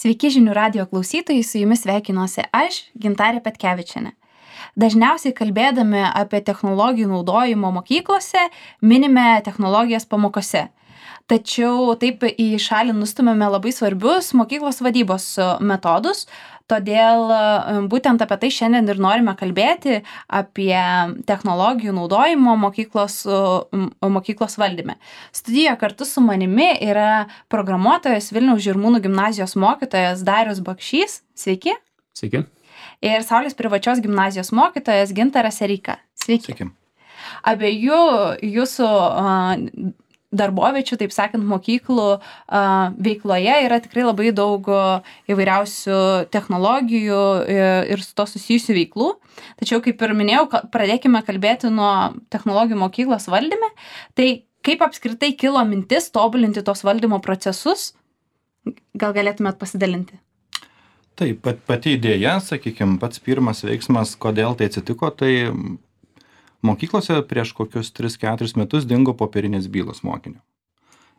Sveiki žinių radijo klausytojai, su jumis sveikinuosi aš, Gintarė Petkevičienė. Dažniausiai kalbėdami apie technologijų naudojimo mokyklose, minime technologijas pamokose. Tačiau taip į šalį nustumėme labai svarbius mokyklos vadybos metodus, todėl būtent apie tai šiandien ir norime kalbėti, apie technologijų naudojimo mokyklos valdyme. Studijoje kartu su manimi yra programuotojas Vilniaus Žirmūnų gimnazijos mokytojas Darius Bakšys. Sveiki. Sveiki. Ir Saulės privačios gimnazijos mokytojas Gintaras Ereika. Sveiki. Sveiki. Abiejų jūsų darboviečių, taip sakant, mokyklų veikloje yra tikrai labai daug įvairiausių technologijų ir su to susijusių veiklų. Tačiau, kaip ir minėjau, pradėkime kalbėti nuo technologijų mokyklos valdyme. Tai kaip apskritai kilo mintis tobulinti tos valdymo procesus? Gal galėtumėt pasidalinti? Taip, pati idėja, sakykime, pats pirmas veiksmas, kodėl tai atsitiko, tai mokyklose prieš kokius 3-4 metus dingo popierinės bylos mokinio.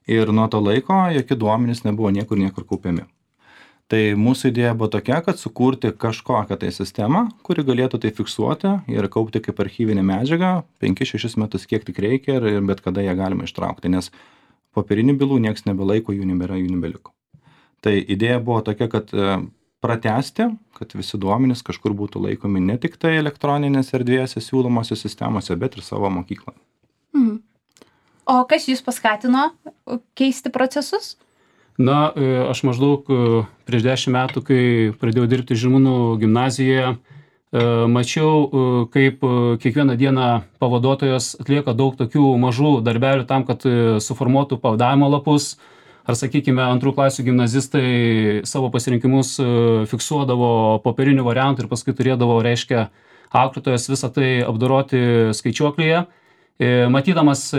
Ir nuo to laiko jokie duomenys nebuvo niekur kaupiami. Tai mūsų idėja buvo tokia, kad sukurti kažkokią tai sistemą, kuri galėtų tai fiksuoti ir kaupti kaip archyvinę medžiagą 5-6 metus, kiek tik reikia ir bet kada ją galima ištraukti, nes popierinių bylų nieks nebelaiko, jų nebėra, jų nebeliko. Tai idėja buvo tokia, kad pratęsti, kad visi duomenys kažkur būtų laikomi ne tik tai elektroninės erdvėse siūlomose sistemose, bet ir savo mokyklą. O kas jūs paskatino keisti procesus? Na, aš maždaug prieš 10 metų, kai pradėjau dirbti Žirmūnų gimnazijoje, mačiau, kaip kiekvieną dieną pavaduotojas atlieka daug tokių mažų darbelių tam, kad suformuotų pavadavimo lapus. Ar, sakykime, antrų klasių gimnazistai savo pasirinkimus fiksuodavo popierinių variantų ir paskui turėdavo, reiškia, auklėtojas visą tai apdoroti skaičiuoklyje. Matydamas,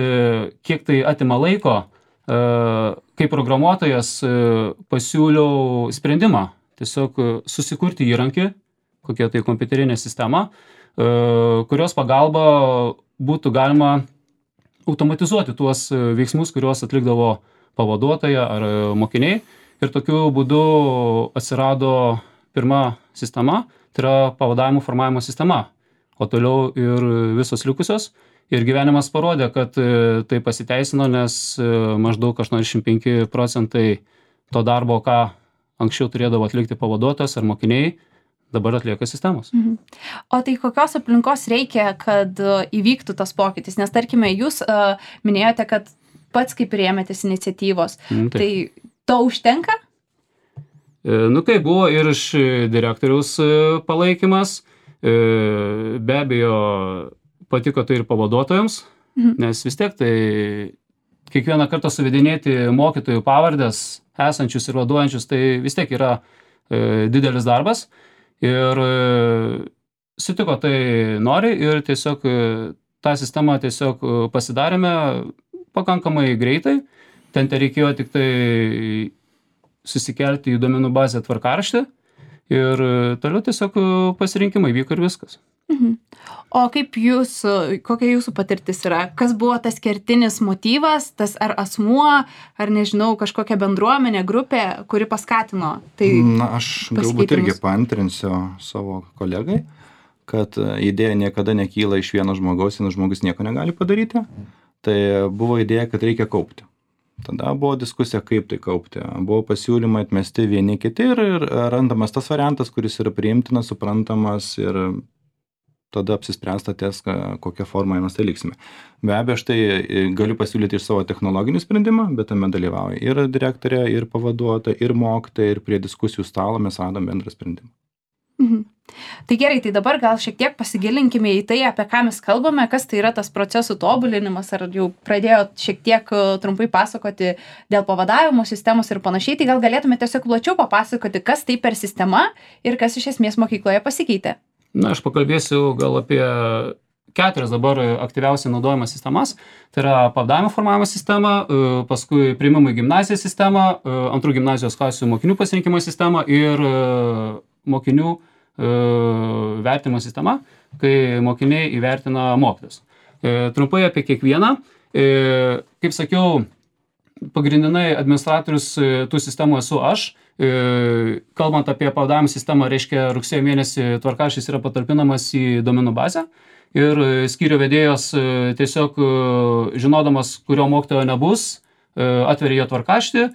kiek tai atima laiko, kaip programuotojas pasiūliau sprendimą. Tiesiog susikurti įrankį, kokia tai kompiuterinė sistema, kurios pagalba būtų galima automatizuoti tuos veiksmus, kuriuos atlikdavo pavaduotoja ar mokiniai. Ir tokiu būdu atsirado pirma sistema, tai yra pavadavimų formavimo sistema, o toliau ir visos likusios. Ir gyvenimas parodė, kad tai pasiteisino, nes maždaug 85% to darbo, ką anksčiau turėdavo atlikti pavaduotojas ar mokiniai, dabar atlieka sistemos. O tai kokios aplinkos reikia, kad įvyktų tas pokytis? Nes tarkime, jūs minėjote, kad pats kaip priėmėtės iniciatyvos. Tai to užtenka? Kaip buvo ir iš direktoriaus palaikymas. Be abejo, patiko tai ir pavaduotojams, nes vis tiek tai kiekvieną kartą suvedinėti mokytojų pavardės, esančius ir vaduojančius, tai vis tiek yra didelis darbas. Ir sutiko tai nori ir tiesiog tą sistemą tiesiog pasidarėme pakankamai greitai. Ten reikėjo tik tai susikelti į duomenų bazę tvarkaraštį ir toliau tiesiog pasirinkimai vyko ir viskas. O kokia jūsų patirtis yra? Kas buvo tas kertinis motyvas, tas ar asmuo, ar nežinau, kažkokia bendruomenė, grupė, kuri paskatino tai? Aš galbūt irgi paantrinsiu savo kolegai, kad idėja niekada nekyla iš vieno žmogaus, vienas žmogus nieko negali padaryti. Tai buvo idėja, kad reikia kaupti. Tada buvo diskusija, kaip tai kaupti. Buvo pasiūlymai atmesti vieni kiti ir randamas tas variantas, kuris yra priimtinas, suprantamas ir tada apsispręsta ties, kokią formą mes tai liksime. Be abejo, aš tai galiu pasiūlyti iš savo technologinį sprendimą, bet tame dalyvauja ir direktorė, ir pavaduotoja, ir mokytoja, ir prie diskusijų stalo mes radom bendrą sprendimą. Tai gerai, tai dabar gal šiek tiek pasigilinkime į tai, apie ką mes kalbame, kas tai yra tas procesų tobulinimas, ar jau pradėjot šiek tiek trumpai pasakoti dėl pavadavimo sistemos ir panašiai, tai gal galėtume tiesiog plačiau papasakoti, kas tai per sistema ir kas iš esmės mokykloje pasikeitė. Aš pakalbėsiu gal apie 4 dabar aktyviausiai naudojamas sistemas. Tai yra pavadavimo formavimo sistema, paskui priėmimo į gimnaziją sistema, antrų gimnazijos klasių mokinių pasirinkimo sistema ir mokinių vertinimo sistema, kai mokiniai įvertina mokytojus. Trumpai apie kiekvieną. Kaip sakiau, pagrindinai administratorius tų sistemų esu aš. Kalbant apie pavadavimo sistemą, reiškia rugsėjo mėnesį tvarkaraštis yra patalpinamas į domenų bazę ir skyrių vedėjas tiesiog žinodamas, kurio mokytojo nebus, atveria jo tvarkaraštį,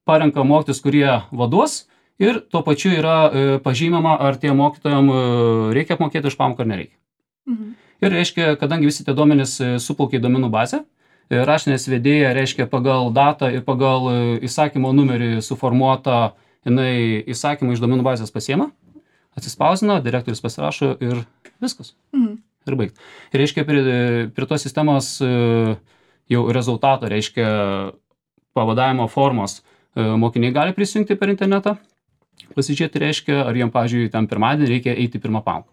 parenka mokytojus, kurie vaduos ir tuo pačiu yra pažymama, ar tie mokytojam reikia apmokėti už pamoką ar nereikia. Ir reiškia, kadangi visi tie duomenys suplaukia į domenų bazę, raštinės vedėja, reiškia, pagal datą ir pagal įsakymo numerį suformuotą, jinai įsakymą iš domenų bazės pasiema, atsispausdina, direktorius pasirašo ir viskas. Ir baigt. Ir reiškia, prie tos sistemos jau rezultato, reiškia, pavadavimo formos mokiniai gali prisijungti per internetą, pasižiūrėti, reiškia, ar jiem, pavyzdžiui, ten pirmadienį reikia eiti pirmą pamoką.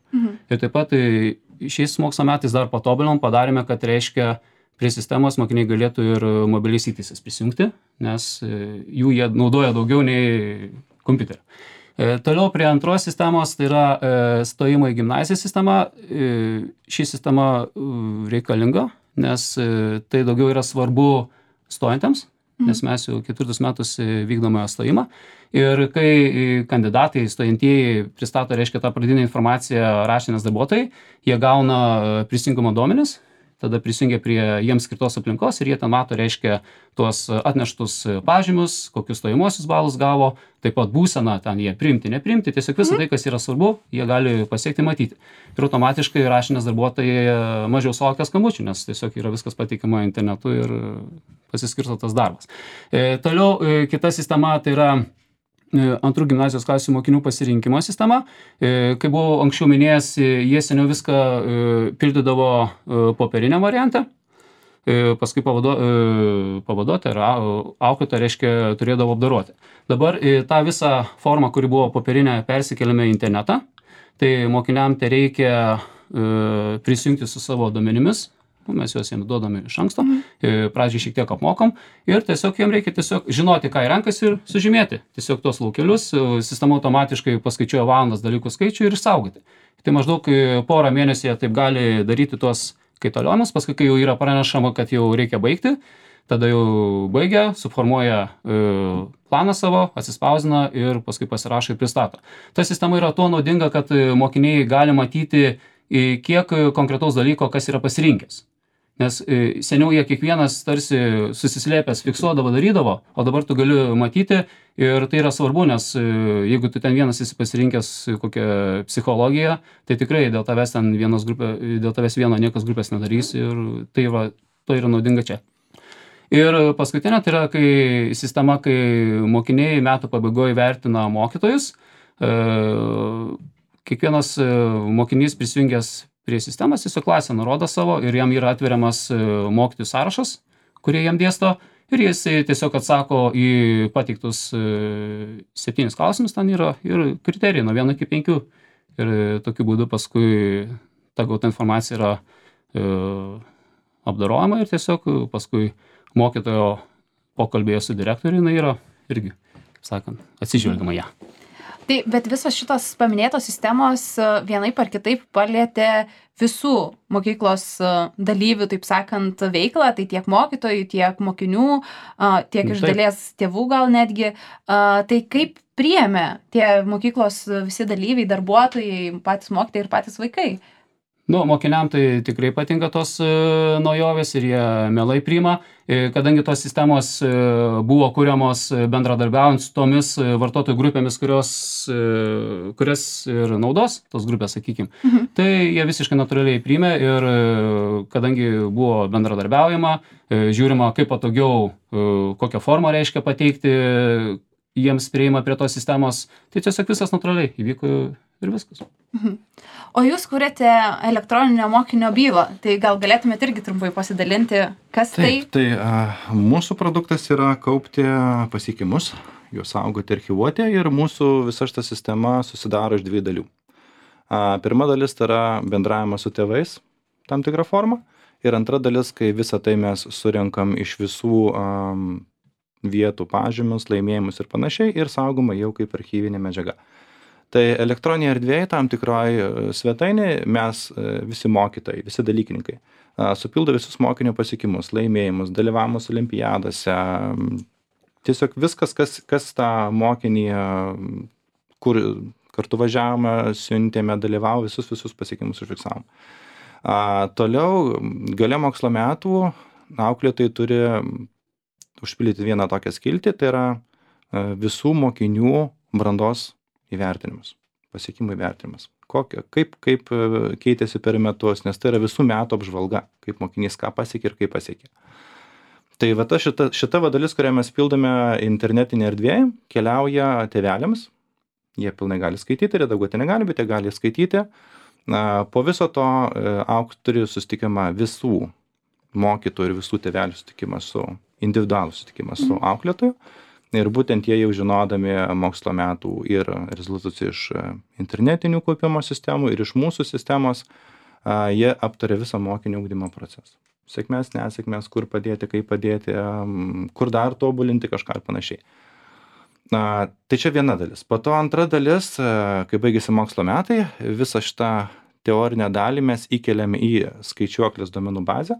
Ir taip pat šiais mokslo metais dar patobulinom, padarėme, kad, reiškia, prie sistemos mokiniai galėtų ir mobiliais įtaisais prisijungti, nes jų jie naudoja daugiau nei kompiuterio. Toliau prie antros sistemos, tai yra stojimo į gimnaziją sistema. Ši sistema reikalinga, nes tai daugiau yra svarbu stojantiems, nes mes jau 4 metus vykdome stojimą. Ir kai kandidatai, stojantieji pristato, reiškia, tą pradinę informaciją raštinės darbuotojai, jie gauna prisijungimo duomenis, tada prisijungia prie jiems skirtos aplinkos ir jie ten mato, reiškia, tuos atneštus pažymius, kokius stojimuosius balus gavo, taip pat būseną, ten jie priimti, nepriimti, tiesiog visą tai, kas yra svarbu, jie gali pasiekti, matyti. Ir automatiškai raštinės darbuotojai mažiau sulaukia skambučių, nes tiesiog yra viskas pateikiama internetu ir pasiskirsto tas darbas. Toliau kita sistema, tai yra antrų gimnazijos klasių mokinių pasirinkimo sistema. Kaip buvau anksčiau minėjęs, jie seniau viską pildydavo popieriniam variante, paskui pavaduoti ar auklėtoja, reiškia, turėdavo apdoroti. Dabar tą visą formą, kuri buvo popierinė, persikeliame į internetą, tai mokiniam tai reikia prisijungti su savo duomenimis. Mes juos jiems duodame iš anksto, pradžiai šiek tiek apmokam ir tiesiog jiems reikia tiesiog žinoti, ką renkasi ir sužymėti. Tiesiog tuos laukelius, sistema automatiškai paskaičiuoja valandas dalykų skaičių ir išsaugoti. Tai maždaug porą mėnesį jie taip gali daryti tuos kaitaliojimus, paskui kai jau yra pranešama, kad jau reikia baigti, tada jau baigia, suformuoja planą savo, atsispausdina ir paskui pasirašo ir pristato. Ta sistema yra tuo naudinga, kad mokiniai gali matyti, kiek konkretaus dalyko, kas yra pasirinkęs. Nes seniau jie kiekvienas tarsi susislėpęs fiksuodavo, darydavo, o dabar tu gali matyti ir tai yra svarbu, nes jeigu tu ten vienas esi pasirinkęs kokią psichologiją, tai tikrai dėl tavęs vieno niekas grupės nedarys ir tai yra naudinga čia. Ir paskutinė tai yra sistema, kai mokiniai metų pabaigoje vertina mokytojus, kiekvienas mokinys prisijungęs prie sistemas, tiesiog klasę nurodo savo ir jam yra atveriamas mokytojų sąrašas, kurie jam dėsto ir jis tiesiog atsako į pateiktus 7 klausimus, ten yra ir kriterijai nuo 1 iki 5 ir tokiu būdu paskui ta gauta informacija yra apdorojama ir tiesiog paskui mokytojo pokalbėje su direktoriu jinai yra irgi, sakant, atsižvelgiama ją. Tai, bet visos šitos paminėtos sistemos vienaip ar kitaip palietė visų mokyklos dalyvių, taip sakant, veiklą, tai tiek mokytojų, tiek mokinių, tiek iš dalies tėvų gal netgi. Tai kaip priėmė tie mokyklos visi dalyviai, darbuotojai, patys mokytojai ir patys vaikai? Mokiniam tai tikrai patinka tos naujovės ir jie mielai priima, kadangi tos sistemos buvo kuriamos bendradarbiaujant su tomis vartotojų grupėmis, kurias ir naudos, tos grupės, sakykime. Tai jie visiškai natūraliai priėmė ir kadangi buvo bendradarbiaujama, žiūrima, kaip patogiau, kokią formą reiškia pateikti, jiems prieima prie tos sistemos, tai tiesiog visas natūraliai įvyko ir viskas. O jūs kuriate elektroninio mokinio bylą, tai gal galėtumėte irgi trumpai pasidalinti, kas tai? Tai mūsų produktas yra kaupti pasiekimus, juos saugoti, archyvuoti ir mūsų visa šita sistema susidaro iš 2 dalių. Pirma dalis tai yra bendravimas su tėvais, tam tikrą formą, ir antra dalis, kai visą tai mes surenkam iš visų vietų pažymius, laimėjimus ir panašiai ir saugoma jau kaip archyvinė medžiaga. Tai elektroninėje erdvėje tam tikroje svetainėje mes visi mokytojai, visi dalykininkai supildo visus mokinio pasiekimus, laimėjimus, dalyvavimus olimpiadose, tiesiog viskas, kas tą mokinį, kur kartu važiavome, siuntėme, dalyvavo, visus pasiekimus užfiksavom. Toliau, gale mokslo metų, auklėtojai turi užpildyti vieną tokią skiltį, tai yra visų mokinių brandos įvertinimas, pasiekimų įvertinimas. Kaip keitėsi per metus, nes tai yra visų metų apžvalga, kaip mokinys ką pasiekė ir kaip pasiekė. Tai va šita dalis, kurią mes pildome internetinė erdvėje, keliauja tėveliams. Jie pilnai gali skaityti, redaguoti negali, bet jie gali skaityti. Po viso to turi susitikimą visų mokytojų ir visų tėvelių susitikimą individualų susitikimą su auklėtoju. Ir būtent jie jau žinodami mokslo metų ir rezultatus iš internetinių kaupimo sistemų ir iš mūsų sistemos, jie aptarė visą mokinio ugdymo procesą. Sėkmės, nesėkmės, kur padėti, kaip padėti, kur dar tobulinti kažką ir panašiai. Tai čia viena dalis. Po to antra dalis, kai baigėsi mokslo metai, visą šitą teorinę dalį mes įkeliame į skaičiuoklės duomenų bazę,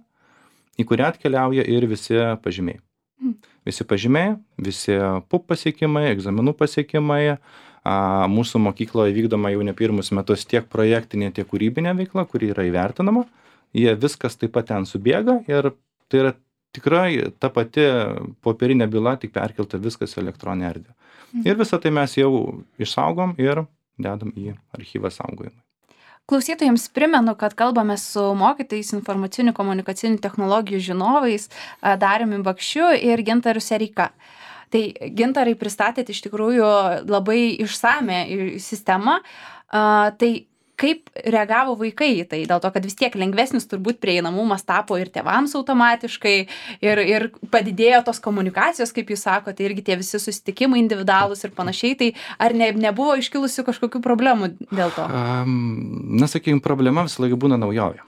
į kurią atkeliauja ir visi pažymiai. Visi pažymiai, visi PUP pasiekimai, egzaminų pasiekimai. Mūsų mokykloje vykdoma jau ne pirmus metus tiek projektinė, tiek kūrybinė veikla, kuri yra įvertinama. Jie viskas taip pat ten subėga ir tai yra tikrai ta pati popierinė byla, tik perkelta viskas į elektroninę erdvę. Ir visą tai mes jau išsaugom ir dedam į archyvą saugojimui. Klausytojams primenu, kad kalbame su mokytojais informacinių komunikacinių technologijų žinovais Dariumi Bakšiu ir Gintaru Sereika. Tai Gintarai pristatėte iš tikrųjų labai išsame sistemą. Tai kaip reagavo vaikai į tai? Dėl to, kad vis tiek lengvesnis turbūt prieinamumas tapo ir tėvams automatiškai ir padidėjo tos komunikacijos, kaip jūs sakote, irgi tie visi susitikimai individualūs ir panašiai. Tai ar nebuvo iškilusių kažkokių problemų dėl to? Sakykime, problema visą laiką būna naujovė.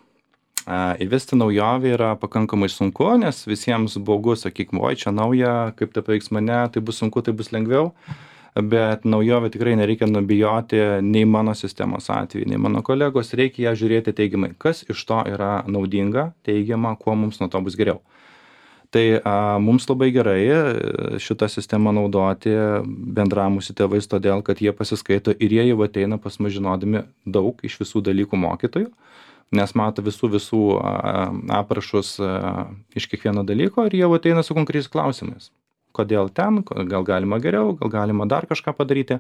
Įvesti naujovę yra pakankamai sunku, nes visiems baugu, sakykime, oi, čia nauja, kaip tai paveiks mane, tai bus sunku, tai bus lengviau. Bet naujovę tikrai nereikia nubijoti nei mano sistemos atveju, nei mano kolegos, reikia ją žiūrėti teigiamai, kas iš to yra naudinga, teigiama, kuo mums nuo to bus geriau. Tai mums labai gerai šitą sistemą naudoti bendravimu su tėvais, todėl kad jie pasiskaito ir jie jau ateina pas mus žinodami daug iš visų dalykų mokytojų, nes mato visų aprašus iš kiekvieno dalyko ir jie jau ateina su konkrečiais klausimais. Kodėl ten, gal galima geriau, gal galima dar kažką padaryti.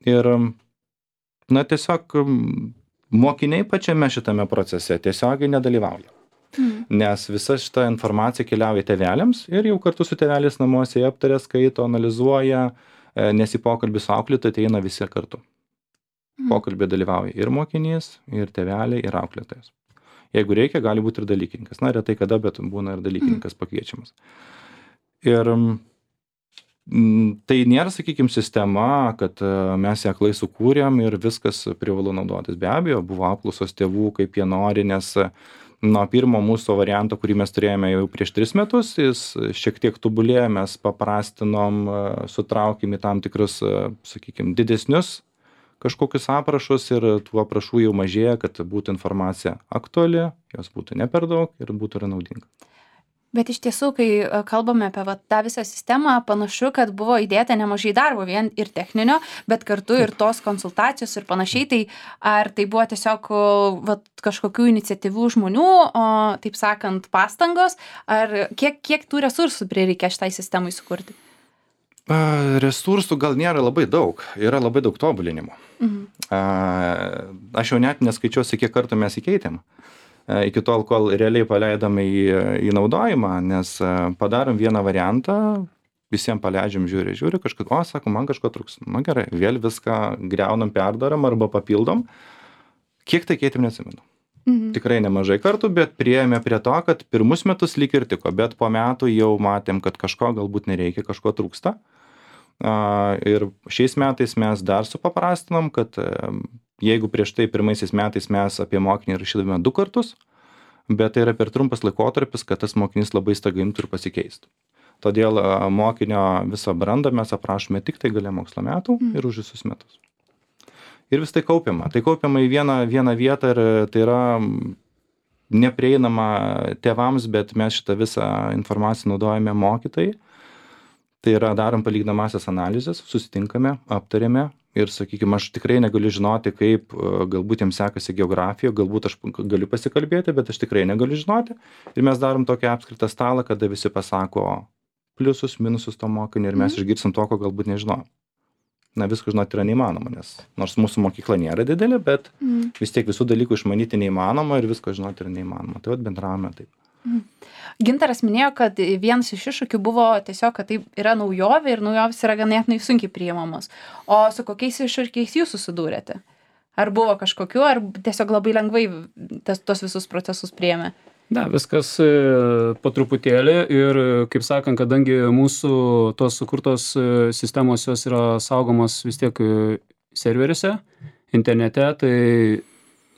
Ir, tiesiog mokiniai pačiame šitame procese tiesiogiai nedalyvauja. Nes visa šita informacija keliauja tėveliams ir jau kartu su tėveliais namuose jie aptarė, skaito, analizuoja, nes į pokalbį su auklėtoju ateina visi kartu. Pokalbį dalyvauja ir mokinys, ir tėveliai, ir auklėtojas. Jeigu reikia, gali būti ir dalykininkas. Retai kada, bet būna ir dalykininkas pakviečiamas. Ir tai nėra, sakykime, sistema, kad mes ją aklai sukūrėm ir viskas privalu naudotis. Be abejo, buvo apklausos tėvų, kaip jie nori, nes nuo pirmo mūsų varianto, kurį mes turėjome jau prieš 3 metus, jis šiek tiek tobulėjo, mes paprastinom, sutraukėm į tam tikrus, sakykime, didesnius kažkokius aprašus ir tų aprašų jau mažėja, kad būtų informacija aktuali, jos būtų ne per daug ir būtų ir naudinga. Bet iš tiesų, kai kalbame apie tą visą sistemą, panašu, kad buvo įdėta nemažai darbo, vien ir techninio, bet kartu ir tos konsultacijos ir panašiai. Tai ar tai buvo tiesiog kažkokių iniciatyvių žmonių, taip sakant, pastangos, ar kiek tų resursų prireikia šitai sistemai sukurti? Resursų gal nėra labai daug, yra labai daug tobulinimų. Aš jau net neskaičiuosi, kiek kartų mes įkeitėm. Iki tol, kol realiai paleidome į naudojimą, nes padarom vieną variantą, visiems paleidžiam, žiūri, kažkas, sako, man kažko trūks. Gerai, vėl viską griaunam, perdarom arba papildom. Kiek tai keitėm, neatsimenu. Tikrai nemažai kartų, bet priėjome prie to, kad pirmus metus lyg ir tiko, bet po metų jau matėm, kad kažko galbūt nereikia, kažko trūksta. Ir šiais metais mes dar supaprastinom, kad jeigu prieš tai pirmaisiais metais mes apie mokinį rašydavome 2 kartus, bet tai yra per trumpas laikotarpis, kad tas mokinys labai staiga imtų ir pasikeistų. Todėl mokinio visą brandą mes aprašome tik tai gale mokslo metų ir už visus metus. ir vis tai kaupiama. Tai kaupiama į vieną vietą ir tai yra neprieinama tėvams, bet mes šitą visą informaciją naudojame mokytojai. Tai yra darom palyginamąsias analizės, susitinkame, aptarėme ir, sakykime, aš tikrai negaliu žinoti, kaip galbūt jiems sekasi geografija, galbūt aš galiu pasikalbėti, bet aš tikrai negaliu žinoti. Ir mes darom tokį apskritą stalą, kada visi pasako pliusus, minusus to mokinio ir mes išgirsim to, ko galbūt nežinojom. Na, viską žinoti yra neįmanoma, nes nors mūsų mokykla nėra didelė, bet vis tiek visų dalykų išmanyti neįmanoma ir visko žinoti yra neįmanoma. Tai vat bendravome taip. Gintaras minėjo, kad vienas iš iššūkių buvo tiesiog, kad tai yra naujovė ir naujovės yra ganėtinai sunkiai priimamos. O su kokiais iššūkiais jūs susidūrėte? Ar buvo kažkokiu, ar tiesiog labai lengvai tos visus procesus priėmė? Ne, viskas po truputėlį ir, kaip sakant, kadangi mūsų tos sukurtos sistemos jos yra saugomos vis tiek serveriuose, internete, tai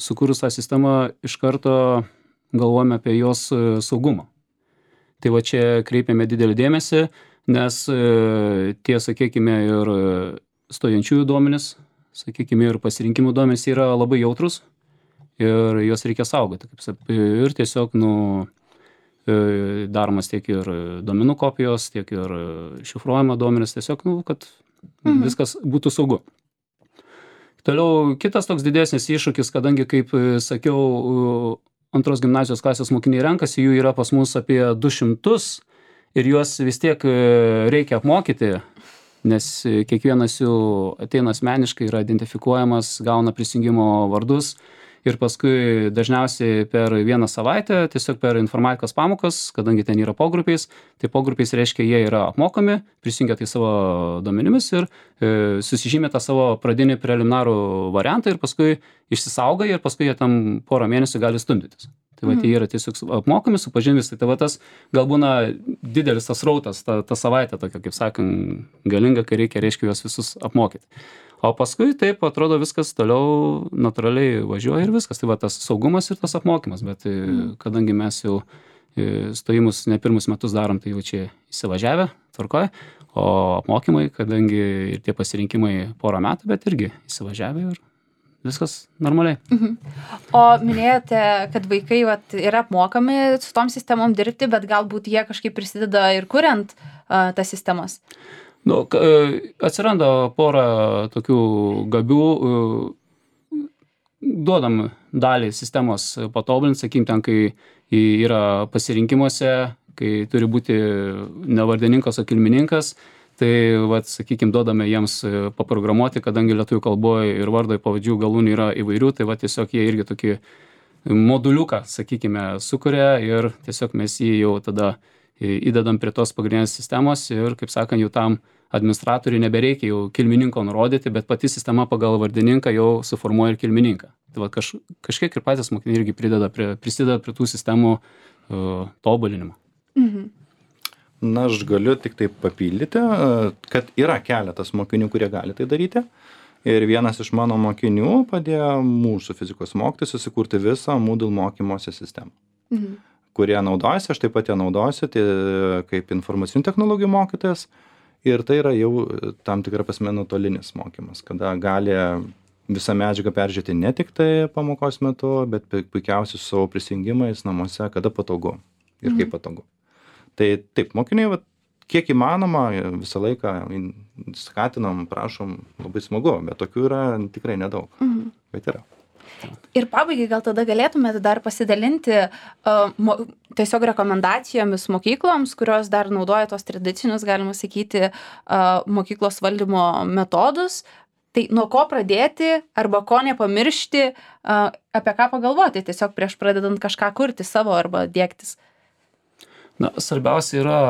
sukūrus tą sistemą iš karto galvojame apie jos saugumą. Tai va čia kreipiame didelį dėmesį, nes tie, sakykime, ir stojančiųjų duomenys, sakykime, ir pasirinkimų duomenys yra labai jautrus. Ir juos reikia saugoti. Ir tiesiog daromas tiek ir duomenų kopijos, tiek ir šifruojama duomenys, tiesiog, kad viskas būtų saugu. Toliau kitas toks didesnis iššūkis, kadangi, kaip sakiau, antros gimnazijos klasės mokiniai renkasi, jų yra pas mus apie 200 ir juos vis tiek reikia apmokyti, nes kiekvienas jų ateina asmeniškai, yra identifikuojamas, gauna prisijungimo vardus. Ir paskui dažniausiai per vieną savaitę, tiesiog per informatikos pamokas, kadangi ten yra pogrupiais, tai pogrupiais reiškia, jie yra apmokomi, prisijungia tai savo duomenimis ir susižymė tą savo pradinį preliminarų variantą ir paskui išsisauga ir paskui jie tam porą mėnesių gali stumdytis. Tai va, jie yra tiesiog apmokomi, supažindys, tai va tas gal būna didelis tas rautas, ta savaitė tokia, kaip sakant, galinga, kai reikia, juos visus apmokyti. O paskui taip atrodo viskas toliau natūraliai važiuoja ir viskas. Tai va tas saugumas ir tas apmokymas, bet kadangi mes jau stojimus ne pirmus metus darom, tai jau čia įsivažiavę, tvarkoje, o apmokymai, kadangi ir tie pasirinkimai porą metų, bet irgi įsivažiavę ir viskas normaliai. O minėjote, kad vaikai yra apmokami su tom sistemom dirbti, bet galbūt jie kažkaip prisideda ir kuriant tas sistemas. Atsiranda porą tokių gabių, duodam dalį sistemos patobulinti, sakykim, ten, kai yra pasirinkimuose, kai turi būti ne vardininkas, o kilmininkas, tai, sakykim, duodame jiems paprogramuoti, kadangi lietuvių kalboje ir vardai pavadžių galūnių yra įvairių, tai tiesiog jie irgi tokį moduliuką, sakykime, sukuria ir tiesiog mes jį jau tada įdedam prie tos pagrindinės sistemos ir, kaip sakant, jau tam administratoriui nebereikia jau kilmininko nurodyti, bet pati sistema pagal vardininką jau suformuoja ir kilmininką. Tai kažkiek ir patys mokiniai irgi prisideda prie tų sistemų tobulinimo. Na, aš galiu tik tai papildyti, kad yra keletas mokinių, kurie gali tai daryti. Ir vienas iš mano mokinių padėjo mūsų fizikos mokytojui susikurti visą Moodle mokymosi sistemą. Kurie naudojasi, aš taip pat ją naudosiu, tai kaip informacinių technologijų mokytojas. Ir tai yra jau tam tikra prasme nuotolinis mokymas, kada gali visą medžiagą peržiūrėti ne tik tai pamokos metu, bet puikiausiai su savo prisijungimais namuose, kada patogu ir kaip patogu. Tai taip, mokiniai, kiek įmanoma, visą laiką skatinam, prašom, labai smagu, bet tokių yra tikrai nedaug, bet yra. Ir pabaigai gal tada galėtumėte dar pasidalinti tiesiog rekomendacijomis mokykloms, kurios dar naudoja tos tradicinius, galima sakyti, mokyklos valdymo metodus. Tai nuo ko pradėti arba ko nepamiršti, apie ką pagalvoti tiesiog prieš pradedant kažką kurti savo arba dėktis? Na, svarbiausia yra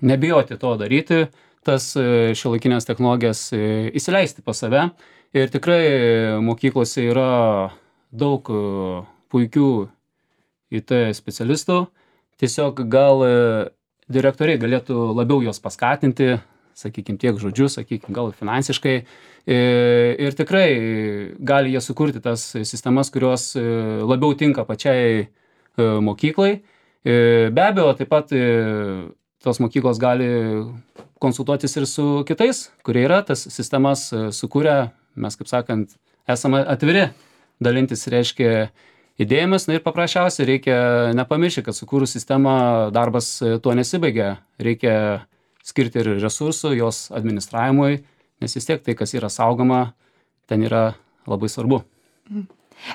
nebijoti to daryti, tas šiuolaikinės technologijas įsileisti pas save. Ir tikrai mokyklose yra daug puikių IT specialistų. Tiesiog gal direktoriai galėtų labiau juos paskatinti, sakykime, tiek žodžiu, sakykime, gal finansiškai. Ir tikrai gali jie sukurti tas sistemas, kurios labiau tinka pačiai mokyklai. Be abejo, taip pat tos mokyklos gali konsultuotis ir su kitais, kurie yra tas sistemas sukūrę. Mes, kaip sakant, esame atviri dalintis, reiškia, idėjomis. Na ir paprasčiausiai reikia nepamiršti, kad sukūrus sistemą darbas tuo nesibaigia. Reikia skirti ir resursų jos administravimui, nes vis tiek tai, kas yra saugoma, ten yra labai svarbu.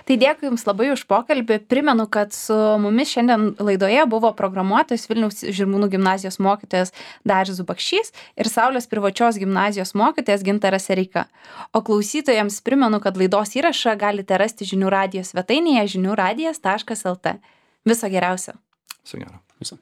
Tai dėkui Jums labai už pokalbį. Primenu, kad su mumis šiandien laidoje buvo programuotojas Vilniaus Žirmūnų gimnazijos mokytojas Darius Zubakšys ir Saulės privačios gimnazijos mokytojas Gintaras Sereika. O klausytojams primenu, kad laidos įrašą galite rasti žinių radijo svetainėje žiniųradijas.lt. Viso geriausio. Viso gero. Viso.